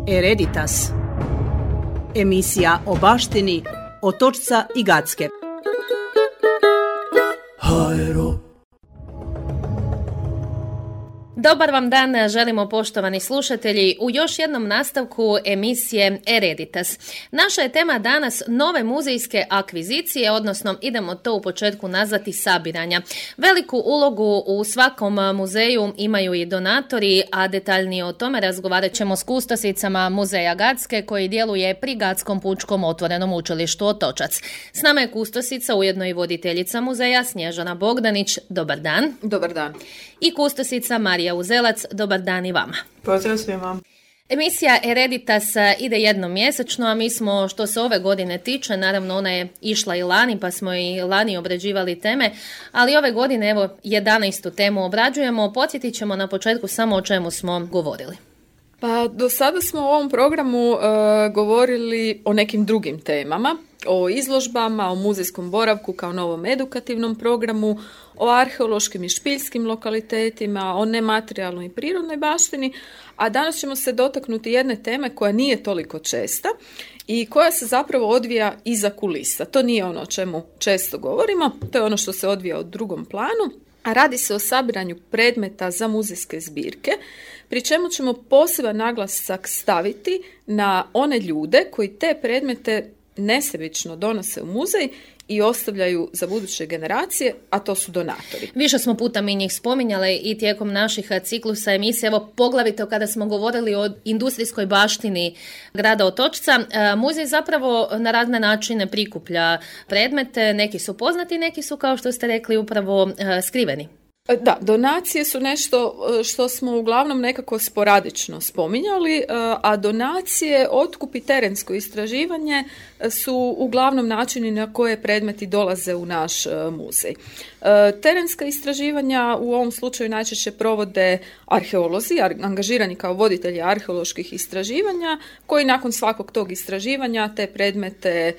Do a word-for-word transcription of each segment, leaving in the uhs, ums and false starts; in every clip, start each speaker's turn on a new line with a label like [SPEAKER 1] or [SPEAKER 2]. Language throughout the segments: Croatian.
[SPEAKER 1] Hereditas. Emisija o baštini Otočca i Gacke.
[SPEAKER 2] Dobar vam dan, želimo poštovani slušatelji u još jednom nastavku emisije Hereditas. Naša je tema danas nove muzejske akvizicije, odnosno idemo to u početku nazvati sabiranja. Veliku ulogu u svakom muzeju imaju i donatori, a detaljnije o tome razgovarat ćemo s kustosicama Muzeja Gacke koji djeluje pri Gackom pučkom otvorenom učilištu Otočac. S nama je kustosica, ujedno i voditeljica muzeja Snježana Bogdanić. Dobar dan.
[SPEAKER 3] Dobar dan.
[SPEAKER 2] I kustosica Marija Uzelac. Dobar dan i vama.
[SPEAKER 3] Pozdrav svima.
[SPEAKER 2] Emisija Hereditas ide jednom mjesečno, a mi smo, što se ove godine tiče, naravno ona je išla i lani, pa smo i lani obrađivali teme, ali ove godine evo jedanaestu temu obrađujemo. Podsjetit ćemo na početku samo o čemu smo govorili.
[SPEAKER 3] Pa do sada smo u ovom programu uh, govorili o nekim drugim temama, o izložbama, o muzejskom boravku kao novom edukativnom programu, o arheološkim i špiljskim lokalitetima, o nematerijalnoj i prirodnoj baštini, a danas ćemo se dotaknuti jedne teme koja nije toliko česta i koja se zapravo odvija iza kulisa. To nije ono o čemu često govorimo, to je ono što se odvija u drugom planu, a radi se o sabiranju predmeta za muzejske zbirke, pri čemu ćemo poseban naglasak staviti na one ljude koji te predmete nesebično donose u muzej i ostavljaju za buduće generacije, a to su donatori.
[SPEAKER 2] Više smo puta mi njih spominjali i tijekom naših ciklusa emisije, evo poglavito kada smo govorili o industrijskoj baštini grada Otočca. Muzej zapravo na razne načine prikuplja predmete, neki su poznati, neki su, kao što ste rekli, upravo skriveni.
[SPEAKER 3] Da, donacije su nešto što smo uglavnom nekako sporadično spominjali, a donacije, otkup i terensko istraživanje su uglavnom načini na koje predmeti dolaze u naš muzej. Terenska istraživanja u ovom slučaju najčešće provode arheolozi, angažirani kao voditelji arheoloških istraživanja, koji nakon svakog tog istraživanja te predmete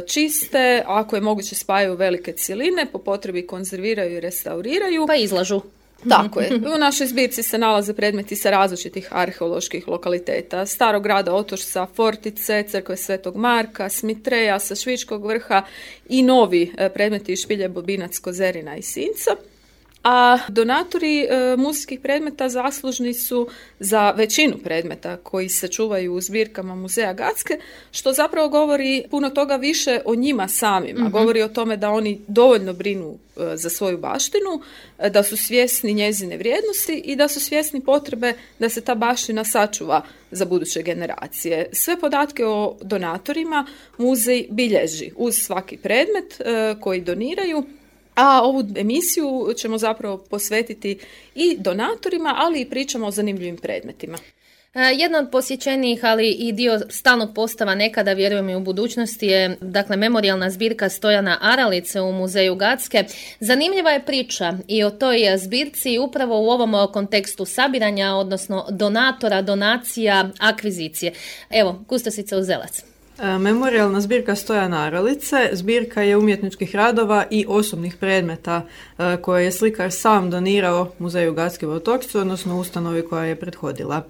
[SPEAKER 3] čiste, ako je moguće spajaju velike cjeline, po potrebi konzerviraju i restauriraju.
[SPEAKER 2] Pa izlažu.
[SPEAKER 3] Tako je. U našoj zbirci se nalaze predmeti sa različitih arheoloških lokaliteta. Starog grada Otočca, Fortice, crkve Svetog Marka, Smitreja sa Švičkog vrha i novi predmeti iz Špilje, Bobinac, Kozerina i Sinca. A donatori e, muzejskih predmeta zaslužni su za većinu predmeta koji se čuvaju u zbirkama Muzeja Gacke, što zapravo govori puno toga više o njima samima. Mm-hmm. Govori o tome da oni dovoljno brinu e, za svoju baštinu, e, da su svjesni njezine vrijednosti i da su svjesni potrebe da se ta baština sačuva za buduće generacije. Sve podatke o donatorima muzej bilježi uz svaki predmet e, koji doniraju. A ovu emisiju ćemo zapravo posvetiti i donatorima, ali i pričamo o zanimljivim predmetima.
[SPEAKER 2] Jedna od posjećenijih, ali i dio stalnog postava nekada, vjerujem i u budućnosti, je dakle memorijalna zbirka Stojana Aralice u Muzeju Gacke. Zanimljiva je priča i o toj zbirci upravo u ovom kontekstu sabiranja, odnosno donatora, donacija, akvizicije. Evo, kustosica Uzelac.
[SPEAKER 4] Memorijalna zbirka Stojana Aralice zbirka je umjetničkih radova i osobnih predmeta koje je slikar sam donirao Muzeju Gacke u Otočcu, odnosno ustanovi koja je prethodila.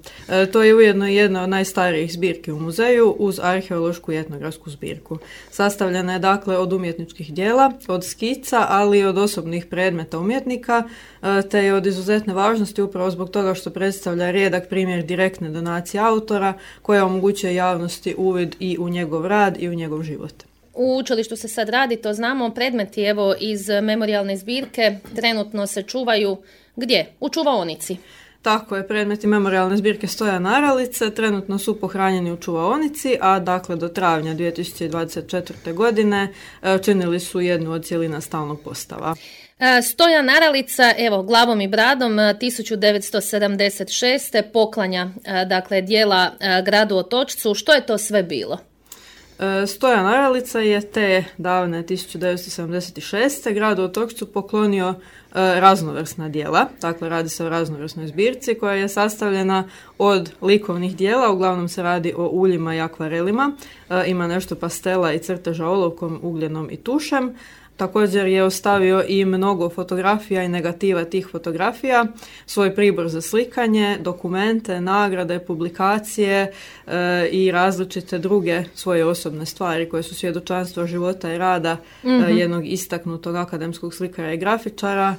[SPEAKER 4] To je ujedno jedna od najstarijih zbirki u muzeju uz arheološku i etnografsku zbirku. Sastavljena je dakle od umjetničkih djela, od skica, ali i od osobnih predmeta umjetnika, te je od izuzetne važnosti upravo zbog toga što predstavlja rijedak primjer direktne donacije autora koja omogućuje javnosti uvid i u njegov rad i u njegov život.
[SPEAKER 2] U učilištu se sad radi, to znamo, predmeti evo iz memorijalne zbirke trenutno se čuvaju gdje? U čuvaonici.
[SPEAKER 4] Tako je, predmeti memorijalne zbirke Stojana Aralice trenutno su pohranjeni u čuvaonici, a dakle do travnja dvije tisuće dvadeset četvrte. godine činili su jednu od cjelina stalnog postava.
[SPEAKER 2] Stojan Aralica, evo, glavom i bradom, tisuću devetsto sedamdeset šeste. poklanja dakle dijela gradu Otočcu. Što je to sve bilo?
[SPEAKER 4] Stojan Aralica je te davne tisuću devetsto sedamdeset šeste. gradu Otočcu poklonio raznovrsna djela. Dakle, radi se o raznovrsnoj zbirci koja je sastavljena od likovnih djela, uglavnom se radi o uljima i akvarelima. Ima nešto pastela i crteža olovkom, ugljenom i tušem. Također je ostavio i mnogo fotografija i negativa tih fotografija, svoj pribor za slikanje, dokumente, nagrade, publikacije e, i različite druge svoje osobne stvari koje su svjedočanstvo života i rada mm-hmm. e, jednog istaknutog akademskog slikara i grafičara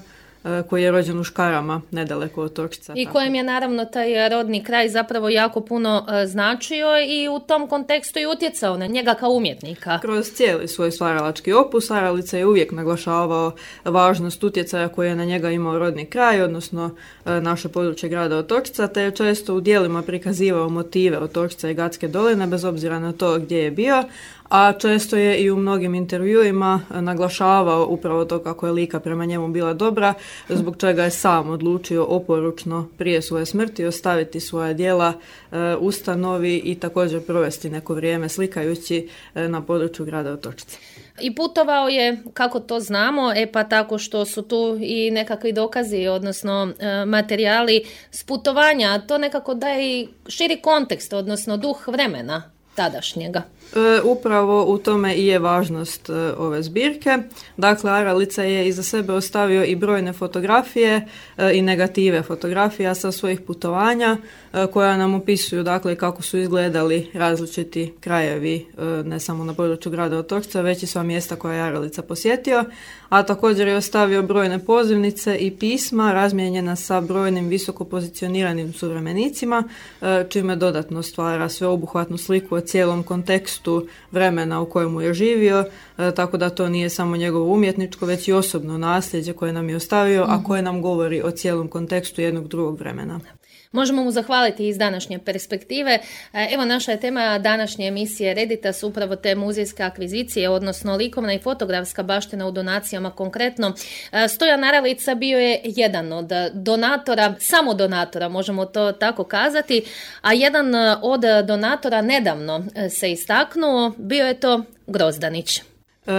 [SPEAKER 4] koji je rođen u Škarama, nedaleko od Otočca.
[SPEAKER 2] I kojem je naravno taj rodni kraj zapravo jako puno uh, značio i u tom kontekstu i utjecao na njega kao umjetnika.
[SPEAKER 4] Kroz cijeli svoj stvaralački opus Aralica je uvijek naglašavao važnost utjecaja koji je na njega imao rodni kraj, odnosno uh, naše područje grada Otočca, te je često u dijelima prikazivao motive Otočca i Gatske doline, bez obzira na to gdje je bio, a često je i u mnogim intervjuima naglašavao upravo to kako je Lika prema njemu bila dobra, zbog čega je sam odlučio oporučno prije svoje smrti ostaviti svoja djela e, ustanovi i također provesti neko vrijeme slikajući e, na području grada Otočca.
[SPEAKER 2] I putovao je, kako to znamo, e pa tako što su tu i nekakvi dokazi, odnosno e, materijali s putovanja, to nekako daje i širi kontekst, odnosno duh vremena tadašnjega.
[SPEAKER 4] E, upravo u tome i je važnost e, ove zbirke. Dakle, Aralica je iza sebe ostavio i brojne fotografije e, i negative fotografija sa svojih putovanja e, koja nam opisuju dakle kako su izgledali različiti krajevi e, ne samo na području grada Otočca, već i sva mjesta koja je Aralica posjetio, a također je ostavio brojne pozivnice i pisma razmijenjena sa brojnim visoko pozicioniranim suvremenicima, e, čime dodatno stvara sveobuhvatnu sliku o cijelom kontekstu vremena u kojemu je živio, e, tako da to nije samo njegovo umjetničko, već i osobno nasljeđe koje nam je ostavio, mm-hmm. a koje nam govori o cijelom kontekstu jednog drugog vremena.
[SPEAKER 2] Možemo mu zahvaliti iz današnje perspektive. Evo, naša je tema današnje emisije Reditas upravo te muzejske akvizicije, odnosno likovna i fotografska baština u donacijama konkretno. Stojan Aralica bio je jedan od donatora, samo donatora, možemo to tako kazati, a jedan od donatora nedavno se istaknuo, bio je to Grozdanić.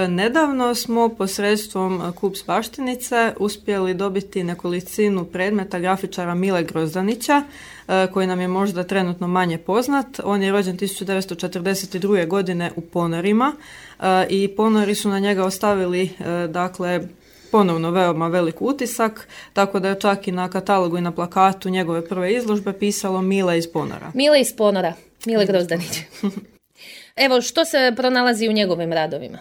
[SPEAKER 4] Nedavno smo posredstvom Kups baštinice uspjeli dobiti nekolicinu predmeta grafičara Mile Grozdanića, koji nam je možda trenutno manje poznat. On je rođen tisuću devetsto četrdeset druge. godine u Ponorima i Ponori su na njega ostavili dakle ponovno veoma velik utisak, tako da je čak i na katalogu i na plakatu njegove prve izložbe pisalo Mile iz Ponora.
[SPEAKER 2] Mile iz Ponora, Mile Grozdanić. Evo, što se pronalazi u njegovim radovima?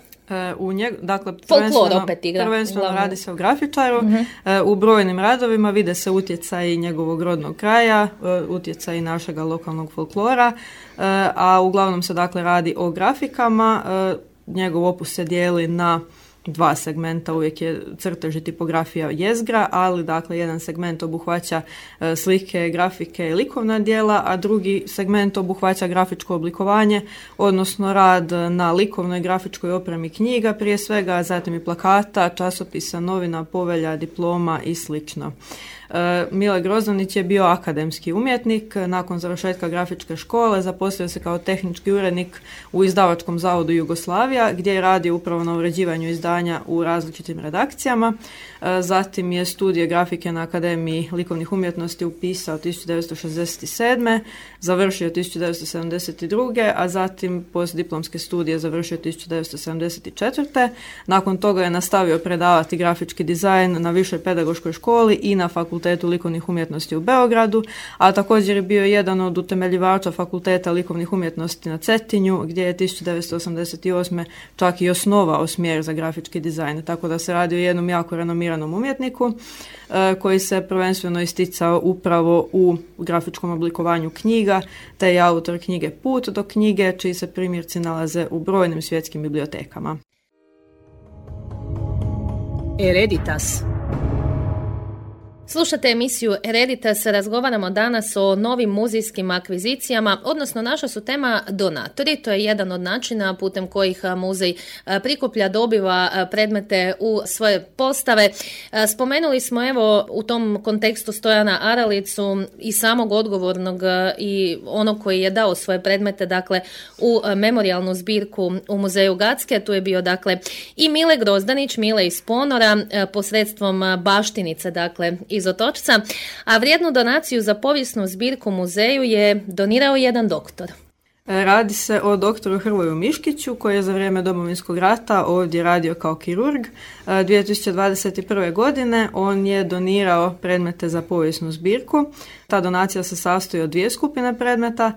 [SPEAKER 4] U njeg, dakle,
[SPEAKER 2] Folklor opet igra.
[SPEAKER 4] Prvenstveno radi se o grafičaru. Uh-huh. U brojnim radovima vide se utjecaj njegovog rodnog kraja, utjecaj našega lokalnog folklora, a uglavnom se dakle radi o grafikama. Njegov opus se dijeli na dva segmenta, uvijek je crtež i tipografija jezgra, ali dakle jedan segment obuhvaća e, slike, grafike i likovna djela, a drugi segment obuhvaća grafičko oblikovanje, odnosno rad na likovnoj grafičkoj opremi knjiga prije svega, a zatim i plakata, časopisa, novina, povelja, diploma i slično. Mile Grozdanić je bio akademski umjetnik. Nakon završetka grafičke škole zaposlio se kao tehnički urednik u izdavačkom zavodu Jugoslavija, gdje je radio upravo na uređivanju izdanja u različitim redakcijama. Zatim je studije grafike na Akademiji likovnih umjetnosti upisao tisuću devetsto šezdeset sedme. Završio tisuću devetsto sedamdeset druge. a zatim postdiplomske studije završio tisuću devetsto sedamdeset četvrte. Nakon toga je nastavio predavati grafički dizajn na Višoj pedagoškoj školi i na Fakultetu likovnih umjetnosti u Beogradu, a također je bio jedan od utemeljivača Fakulteta likovnih umjetnosti na Cetinju, gdje je tisuću devetsto osamdeset osme. čak i osnovao smjer za grafički dizajn, tako da se radi o jednom jako renomiranom umjetniku e, koji se prvenstveno isticao upravo u grafičkom oblikovanju knjiga, te je autor knjige Put do knjige, čiji se primjerci nalaze u brojnim svjetskim bibliotekama.
[SPEAKER 1] Hereditas.
[SPEAKER 2] Slušate emisiju Hereditas, razgovaramo danas o novim muzejskim akvizicijama, odnosno naša su tema donatori. To je jedan od načina putem kojih muzej prikuplja, dobiva predmete u svoje postave. Spomenuli smo evo u tom kontekstu Stojana Aralicu i samog odgovornog i onog koji je dao svoje predmete dakle u memorijalnu zbirku u muzeju Gatske. Tu je bio dakle i Mile Grozdanić, Mile iz Ponora, posredstvom baštinice dakle iz Otočca, a vrijednu donaciju za povijesnu zbirku muzeju je donirao jedan doktor.
[SPEAKER 4] Radi se o doktoru Hrvoju Miškiću koji je za vrijeme Domovinskog rata ovdje radio kao kirurg. dvije tisuće dvadeset prve. godine on je donirao predmete za povijesnu zbirku. Ta donacija se sastoji od dvije skupine predmeta.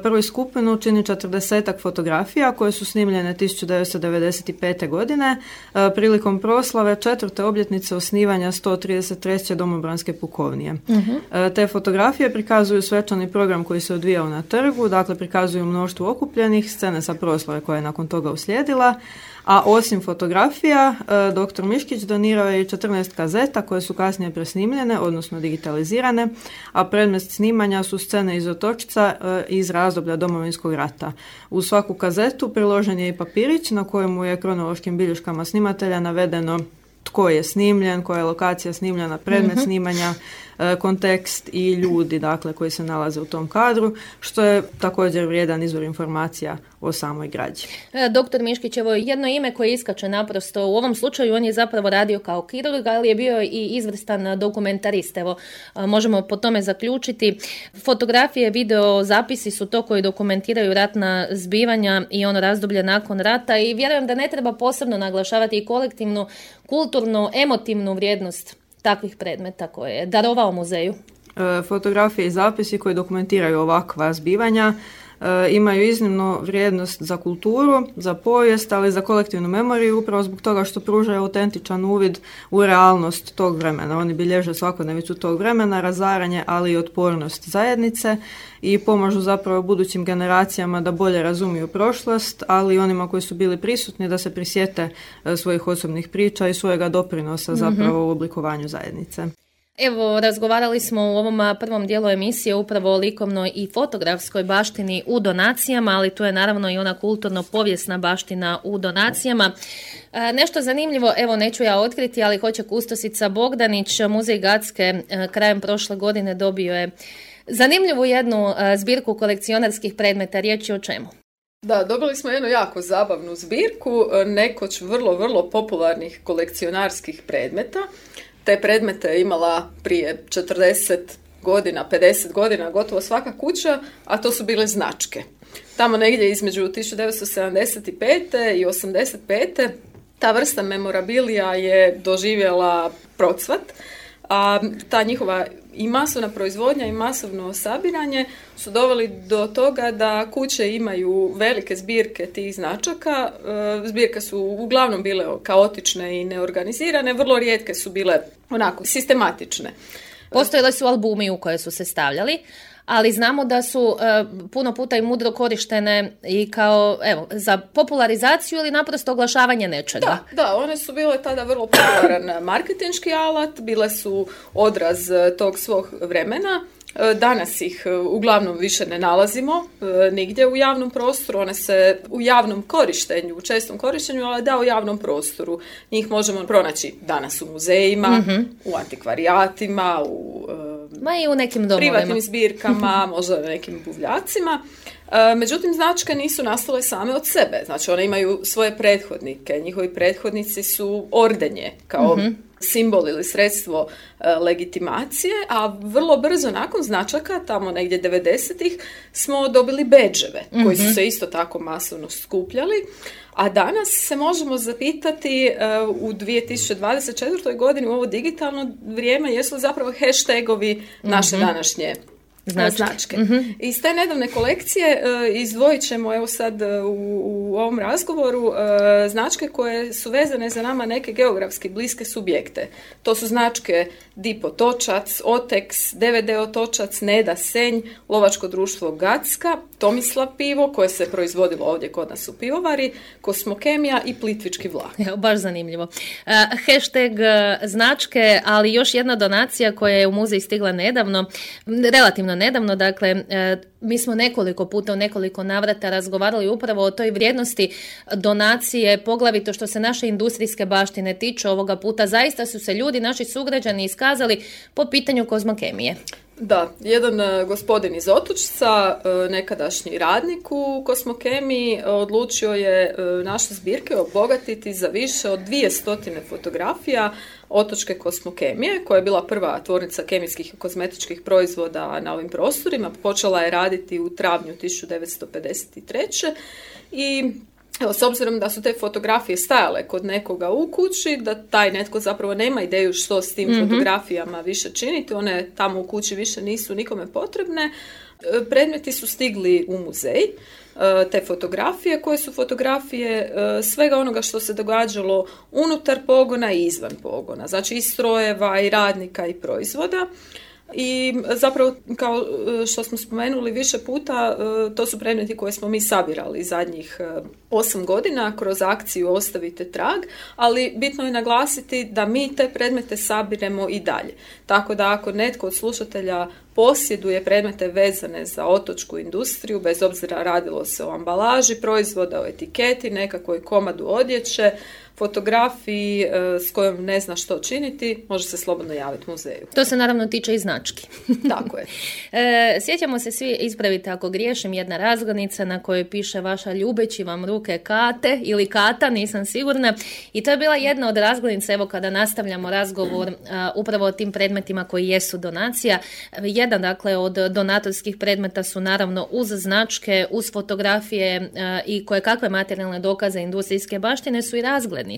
[SPEAKER 4] Prvu skupinu čini četrdesetak fotografija koje su snimljene tisuću devetsto devedeset pete. godine prilikom proslave četvrte obljetnice osnivanja sto trideset treće domobranske pukovnije. Uh-huh. Te fotografije prikazuju svečani program koji se odvijao na trgu, dakle prikazuju mnoštvo okupljenih, scene sa proslave koja je nakon toga uslijedila, a osim fotografija, doktor Miškić donirao je i četrnaest kazeta koje su kasnije presnimljene, odnosno digitalizirane, a predmet snimanja su scene iz Otočca iz razdoblja Domovinskog rata. U svaku kazetu priložen je i papirić na kojemu je kronološkim bilješkama snimatelja navedeno tko je snimljen, koja je lokacija snimljena, predmet mm-hmm. snimanja, kontekst i ljudi, dakle, koji se nalaze u tom kadru, što je također vrijedan izvor informacija o samoj građi.
[SPEAKER 2] Doktor Miškić, evo jedno ime koje iskače naprosto u ovom slučaju, on je zapravo radio kao kirurg, ali je bio i izvrstan dokumentarist. Evo, možemo po tome zaključiti. Fotografije, video, zapisi su to koji dokumentiraju ratna zbivanja i ono razdoblje nakon rata i vjerujem da ne treba posebno naglašavati i kolektivnu, kulturnu, emotivnu vrijednost takvih predmeta koje je darovao muzeju.
[SPEAKER 4] E, fotografije i zapisi koji dokumentiraju ovakva zbivanja e, imaju iznimnu vrijednost za kulturu, za povijest, ali i za kolektivnu memoriju, upravo zbog toga što pružaju autentičan uvid u realnost tog vremena. Oni bilježe svakodnevicu tog vremena, razaranje, ali i otpornost zajednice i pomažu zapravo budućim generacijama da bolje razumiju prošlost, ali i onima koji su bili prisutni da se prisjete svojih osobnih priča i svojega doprinosa zapravo mm-hmm. u oblikovanju zajednice.
[SPEAKER 2] Evo, razgovarali smo u ovom prvom dijelu emisije upravo o likovnoj i fotografskoj baštini u donacijama, ali tu je naravno i ona kulturno-povijesna baština u donacijama. E, nešto zanimljivo, evo neću ja otkriti, ali hoće kustosica Bogdanić, Muzej Gacke e, krajem prošle godine dobio je zanimljivu jednu e, zbirku kolekcionarskih predmeta. Riječ je o čemu?
[SPEAKER 3] Da, dobili smo jednu jako zabavnu zbirku, nekoć vrlo, vrlo popularnih kolekcionarskih predmeta. Te predmete je imala prije četrdeset godina, pedeset godina, gotovo svaka kuća, a to su bile značke. Tamo negdje između tisuću devetsto sedamdeset pete i osamdeset pete ta vrsta memorabilija je doživjela procvat, a ta njihova i masovna proizvodnja i masovno sabiranje su doveli do toga da kuće imaju velike zbirke tih značaka. Zbirke su uglavnom bile kaotične i neorganizirane, vrlo rijetke su bile onako sistematične.
[SPEAKER 2] Postojali su albumi u koje su se stavljali, ali znamo da su uh, puno puta i mudro korištene i kao, evo, za popularizaciju ili naprosto oglašavanje nečega.
[SPEAKER 3] Da, da, one su bile tada vrlo popularan marketinški alat, bile su odraz tog svog vremena. Danas ih uglavnom više ne nalazimo nigdje u javnom prostoru, one se u javnom korištenju, u čestom korištenju, ali da u javnom prostoru. Njih možemo pronaći danas u muzejima, mm-hmm. u antikvarijatima, u
[SPEAKER 2] Ma i u nekim domovima.
[SPEAKER 3] Privatnim zbirkama, možda nekim buvljacima. Međutim, značke nisu nastale same od sebe. Znači, one imaju svoje prethodnike. Njihovi prethodnici su ordenje kao mm-hmm. simbol ili sredstvo e, legitimacije, a vrlo brzo nakon značaka, tamo negdje devedesetih, smo dobili bedževe, mm-hmm. koji su se isto tako masovno skupljali. A danas se možemo zapitati e, u dvije tisuće dvadeset četvrtoj godini u ovo digitalno vrijeme jesu li zapravo hashtagovi naše mm-hmm. današnje značke. značke. Mm-hmm. Iz te nedavne kolekcije e, izdvojit ćemo evo sad u, u ovom razgovoru e, značke koje su vezane za nama neke geografski bliske subjekte. To su značke D I P Otočac, Otex, D V D Otočac, Neda Senj, Lovačko društvo Gacka, Tomislav pivo koje se proizvodilo ovdje kod nas u pivovari, Kosmokemija i Plitvički vlak.
[SPEAKER 2] Evo, baš zanimljivo. Uh, hashtag uh, značke, ali još jedna donacija koja je u muzej stigla nedavno, relativno nedavno, dakle, uh, mi smo nekoliko puta u nekoliko navrata razgovarali upravo o toj vrijednosti donacije, poglavito što se naše industrijske baštine tiče. Ovoga puta zaista su se ljudi, naši sugrađani, iskazali po pitanju kozmokemije.
[SPEAKER 3] Da, jedan gospodin iz Otočca, nekadašnji radnik u Kosmokemiji, odlučio je naše zbirke obogatiti za više od dvije stotine fotografija, Otočke kosmokemije, koja je bila prva tvornica kemijskih i kozmetičkih proizvoda na ovim prostorima. Počela je raditi u travnju tisuću devetsto pedeset treće. i Evo, s obzirom da su te fotografije stajale kod nekoga u kući, da taj netko zapravo nema ideju što s tim mm-hmm. fotografijama više činiti, one tamo u kući više nisu nikome potrebne, predmeti su stigli u muzej, te fotografije koje su fotografije svega onoga što se događalo unutar pogona i izvan pogona, znači i strojeva i radnika i proizvoda. I zapravo, kao što smo spomenuli više puta, to su predmeti koje smo mi sabirali zadnjih osam godina kroz akciju Ostavite trag, ali bitno je naglasiti da mi te predmete sabiremo i dalje. Tako da ako netko od slušatelja posjeduje predmete vezane za otočku industriju, bez obzira radilo se o ambalaži proizvoda, o etiketi, nekakvoj komadu odjeće, fotografiji e, s kojom ne zna što činiti, može se slobodno javiti muzeju.
[SPEAKER 2] To se naravno tiče i znački.
[SPEAKER 3] Tako je.
[SPEAKER 2] e, sjećamo se svi, ispravite ako griješim, jedna razglednica na kojoj piše vaša ljubeći vam ruke Kate ili Kata, nisam sigurna. I to je bila jedna od razglednica, evo kada nastavljamo razgovor a, upravo o tim predmetima koji jesu donacija. Jedan dakle od donatorskih predmeta su naravno uz značke, uz fotografije a, i koje kakve materijalne dokaze industrijske baštine su i razglednice.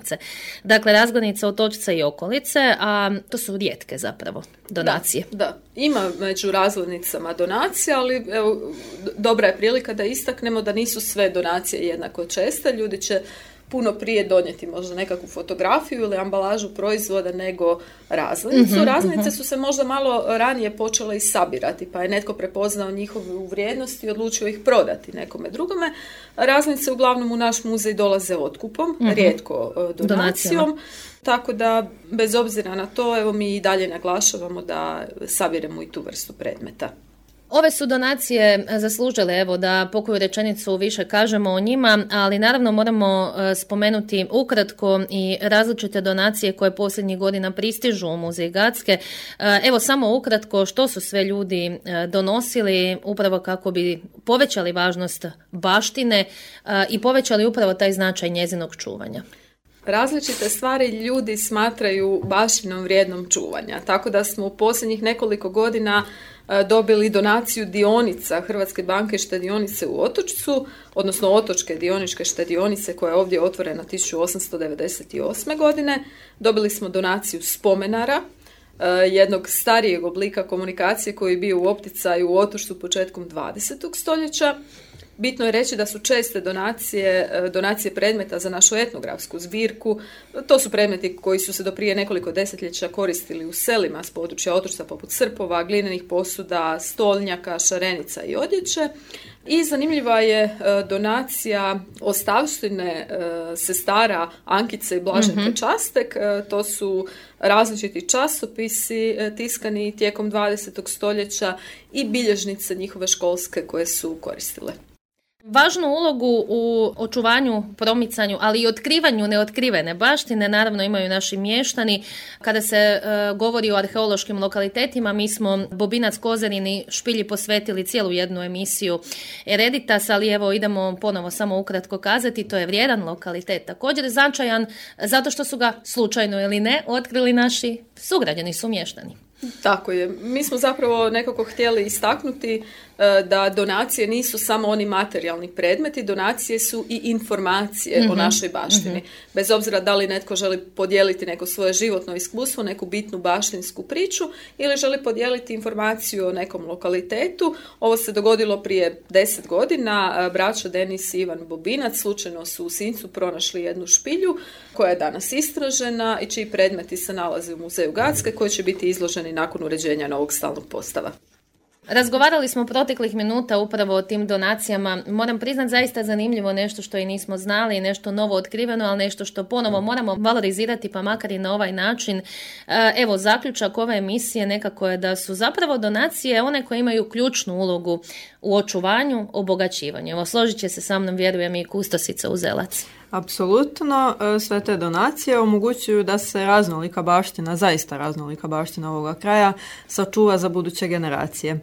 [SPEAKER 2] Dakle, razglednice otočca i okolice, a to su rijetke zapravo donacije.
[SPEAKER 3] Da, da. Ima među razglednicama donacija, ali evo, dobra je prilika da istaknemo da nisu sve donacije jednako česte. Ljudi će puno prije donijeti možda nekakvu fotografiju ili ambalažu proizvoda nego razglednicu. Mm-hmm, razglednice mm-hmm. su se možda malo ranije počele i sabirati, pa je netko prepoznao njihovu vrijednost i odlučio ih prodati nekome drugome. Razglednice uglavnom u naš muzej dolaze otkupom, mm-hmm. rijetko donacijom. Donacijama. Tako da, bez obzira na to, evo mi i dalje naglašavamo da sabiremo i tu vrstu predmeta.
[SPEAKER 2] Ove su donacije zaslužile, evo, da pokoju rečenicu više kažemo o njima, ali naravno moramo spomenuti ukratko i različite donacije koje posljednjih godina pristižu u Muzej Gacke. Evo, samo ukratko što su sve ljudi donosili upravo kako bi povećali važnost baštine i povećali upravo taj značaj njezinog čuvanja.
[SPEAKER 3] Različite stvari ljudi smatraju baštinom vrijednom čuvanja, tako da smo u posljednjih nekoliko godina dobili donaciju dionica Hrvatske banke štedionice u Otočcu, odnosno Otočke dioničke štedionice koja je ovdje otvorena tisuću osamsto devedeset osme. godine. Dobili smo donaciju spomenara, jednog starijeg oblika komunikacije koji je bio u opticaju u Otočcu početkom dvadesetog stoljeća. Bitno je reći da su česte donacije, donacije predmeta za našu etnografsku zbirku. To su predmeti koji su se do prije nekoliko desetljeća koristili u selima s područja Otočca poput srpova, glinenih posuda, stolnjaka, šarenica i odjeće. I zanimljiva je donacija ostavštine sestara Ankice i Blaženke mm-hmm. Častek. To su različiti časopisi tiskani tijekom dvadesetog stoljeća i bilježnice njihove školske koje su koristile.
[SPEAKER 2] Važnu ulogu u očuvanju, promicanju, ali i otkrivanju neotkrivene baštine naravno imaju naši mještani. Kada se e, govori o arheološkim lokalitetima, mi smo Bobinac, Kozarin i Špilji posvetili cijelu jednu emisiju Ereditas, ali evo idemo ponovo samo ukratko kazati, to je vrijedan lokalitet, također značajan zato što su ga slučajno ili ne otkrili naši sugrađani, sumještani.
[SPEAKER 3] Tako je. Mi smo zapravo nekako htjeli istaknuti da donacije nisu samo oni materijalni predmeti, donacije su i informacije mm-hmm. o našoj baštini. Mm-hmm. Bez obzira da li netko želi podijeliti neko svoje životno iskustvo, neku bitnu baštinsku priču ili želi podijeliti informaciju o nekom lokalitetu. Ovo se dogodilo prije deset godina. Braća Denis i Ivan Bobinac slučajno su u Sincu pronašli jednu špilju koja je danas istražena i čiji predmeti se nalaze u Muzeju Gacke koji će biti izloženi nakon uređenja novog stalnog postava.
[SPEAKER 2] Razgovarali smo proteklih minuta upravo o tim donacijama. Moram priznat zaista zanimljivo nešto što i nismo znali, nešto novo otkriveno, ali nešto što ponovo moramo valorizirati pa makar i na ovaj način. Evo, zaključak ove emisije nekako je da su zapravo donacije one koje imaju ključnu ulogu u očuvanju, obogaćivanju. Evo, složit će se sa mnom, vjerujem, i kustosica Uzelac.
[SPEAKER 4] Apsolutno, sve te donacije omogućuju da se raznolika baština, zaista raznolika baština ovoga kraja, sačuva za buduće generacije.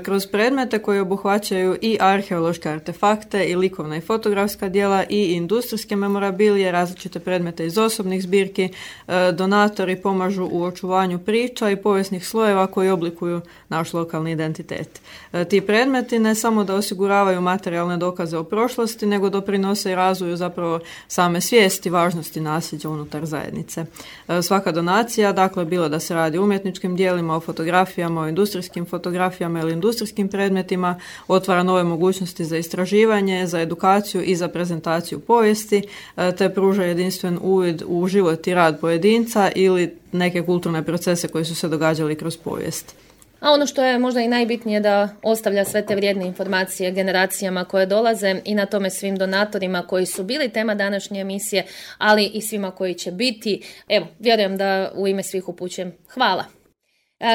[SPEAKER 4] Kroz predmete koji obuhvaćaju i arheološke artefakte i likovna i fotografska djela i industrijske memorabilije, različite predmete iz osobnih zbirki, donatori pomažu u očuvanju priča i povijesnih slojeva koji oblikuju naš lokalni identitet. Ti predmeti ne samo da osiguravaju materijalne dokaze o prošlosti, nego doprinose i razvoju zapravo same svijesti važnosti nasljeđa unutar zajednice. Svaka donacija, dakle, bilo da se radi o umjetničkim djelima, o fotografijama, o industrijskim fotografijama ili industrijskim predmetima, otvara nove mogućnosti za istraživanje, za edukaciju i za prezentaciju povijesti, te pruža jedinstven uvid u život i rad pojedinca ili neke kulturne procese koji su se događali kroz povijest.
[SPEAKER 2] A ono što je možda i najbitnije da ostavlja sve te vrijedne informacije generacijama koje dolaze i na tome svim donatorima koji su bili tema današnje emisije, ali i svima koji će biti. Evo, vjerujem da u ime svih upućujem hvala.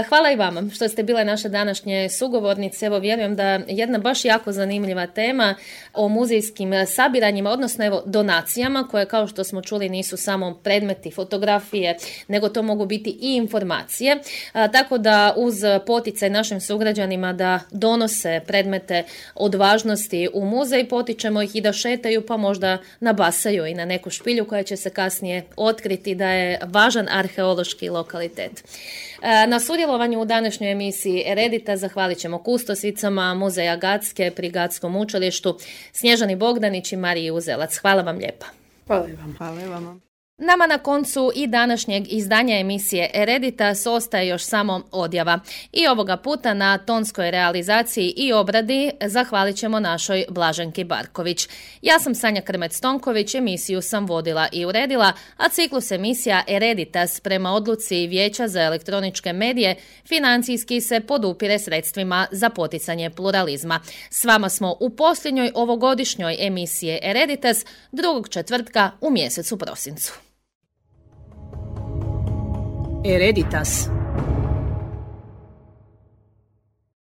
[SPEAKER 2] Hvala i vama što ste bile naše današnje sugovornice. Evo, vjerujem da jedna baš jako zanimljiva tema o muzejskim sabiranjima, odnosno evo donacijama koje, kao što smo čuli, nisu samo predmeti, fotografije, nego to mogu biti i informacije. A, tako da uz poticaj našim sugrađanima da donose predmete od važnosti u muzej, potičemo ih i da šetaju, pa možda nabasaju i na neku špilju koja će se kasnije otkriti da je važan arheološki lokalitet. A, na sudjelovanju u današnjoj emisiji Eredita zahvalit ćemo kustosicama Muzeja Gatske pri Gatskom učilištu Snježani Bogdanić i Mariji Uzelac. Hvala vam lijepa.
[SPEAKER 4] Hvala vam. Hvala vam.
[SPEAKER 2] Nama na koncu i današnjeg izdanja emisije Ereditas ostaje još samo odjava. I ovoga puta na tonskoj realizaciji i obradi zahvalit ćemo našoj Blaženki Barković. Ja sam Sanja Krmec-Tonković, emisiju sam vodila i uredila, a ciklus emisija Ereditas prema odluci Vijeća za elektroničke medije financijski se podupire sredstvima za poticanje pluralizma. S vama smo u posljednjoj ovogodišnjoj emisiji Ereditas drugog četvrtka u mjesecu prosincu.
[SPEAKER 1] Ereditas.